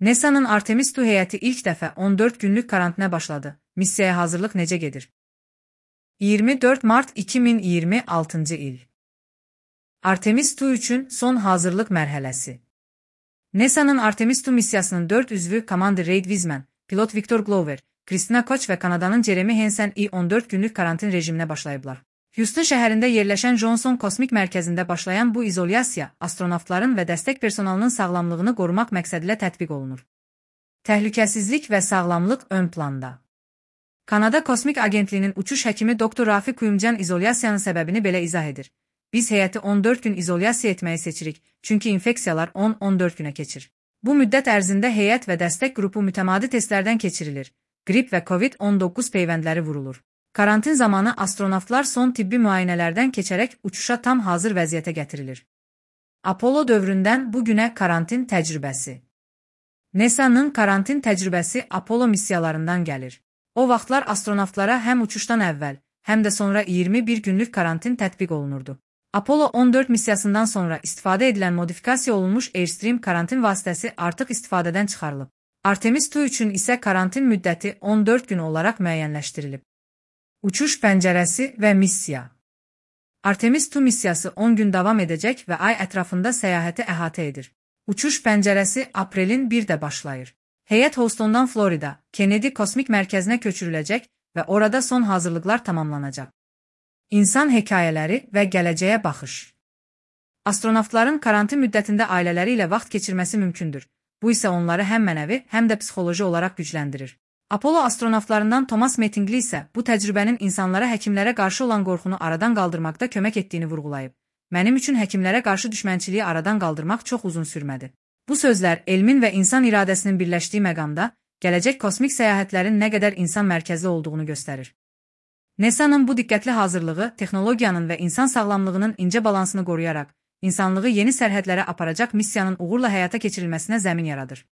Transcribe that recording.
NASA'nın Artemis II heyəti ilk dəfə 14 günlük karantinə başladı. Missiyaya hazırlıq necə gedir? 24 mart 2026 il. Artemis II üçün son hazırlıq mərhələsi. NASA'nın Artemis II missiyasının 4 üzvü Commander Reid Wiseman, pilot Victor Glover, Christina Koch və Kanadanın Jeremy Hansen 14 günlük karantin rejiminə başlayıblar. Houston şəhərində yerləşən Johnson Kosmik Mərkəzində başlayan bu izolyasiya astronavtların və dəstək personalının sağlamlığını qorumaq məqsədilə tətbiq olunur. Təhlükəsizlik və sağlamlıq ön planda. Kanada Kosmik Agentliyinin uçuş həkimi Dr. Rafi Kuyumcan izolyasiyanın səbəbini belə izah edir. Biz heyəti 14 gün izolyasiya etməyi seçirik, çünki infeksiyalar 10-14 günə keçir. Bu müddət ərzində heyət və dəstək qrupu mütəmadi testlərdən keçirilir. Qrip və COVID-19 peyvəndləri vurulur. Karantin zamanı astronavtlar son tibbi müayinələrdən keçərək uçuşa tam hazır vəziyyətə gətirilir. Apollo dövründən bu günə karantin təcrübəsi. NASA'nın karantin təcrübəsi Apollo missiyalarından gəlir. O vaxtlar astronavtlara həm uçuşdan əvvəl, həm də sonra 21 günlük karantin tətbiq olunurdu. Apollo 14 missiyasından sonra istifadə edilən modifikasiya olunmuş Airstream karantin vasitəsi artıq istifadədən çıxarılıb. Artemis II üçün isə karantin müddəti 14 gün olaraq müəyyənləşdirilib. Uçuş pəncərəsi və missiya. Artemis II missiyası 10 gün davam edəcək və ay ətrafında səyahəti əhatə edir. Uçuş pəncərəsi aprelin 1-də başlayır. Heyət Houstondan Florida, Kennedy Kosmik Mərkəzinə köçürüləcək və orada son hazırlıqlar tamamlanacaq. İnsan hekayələri və gələcəyə baxış. Astronavtların karantin müddətində ailələri ilə vaxt keçirməsi mümkündür. Bu isə onları həm mənəvi, həm də psixoloji olaraq gücləndirir. Apollo astronavtlarından Thomas Mettingli isə bu təcrübənin insanlara həkimlərə qarşı olan qorxunu aradan qaldırmaqda kömək etdiyini vurğulayıb. Mənim üçün həkimlərə qarşı düşmənçiliyi aradan qaldırmaq çox uzun sürmədi. Bu sözlər elmin və insan iradəsinin birləşdiyi məqamda gələcək kosmik səyahətlərin nə qədər insan mərkəzli olduğunu göstərir. NASA'nın bu diqqətli hazırlığı texnologiyanın və insan sağlamlığının incə balansını qoruyaraq insanlığı yeni sərhədlərə aparacaq missiyanın uğurla həyata keçirilməsinə zəmin yaradır.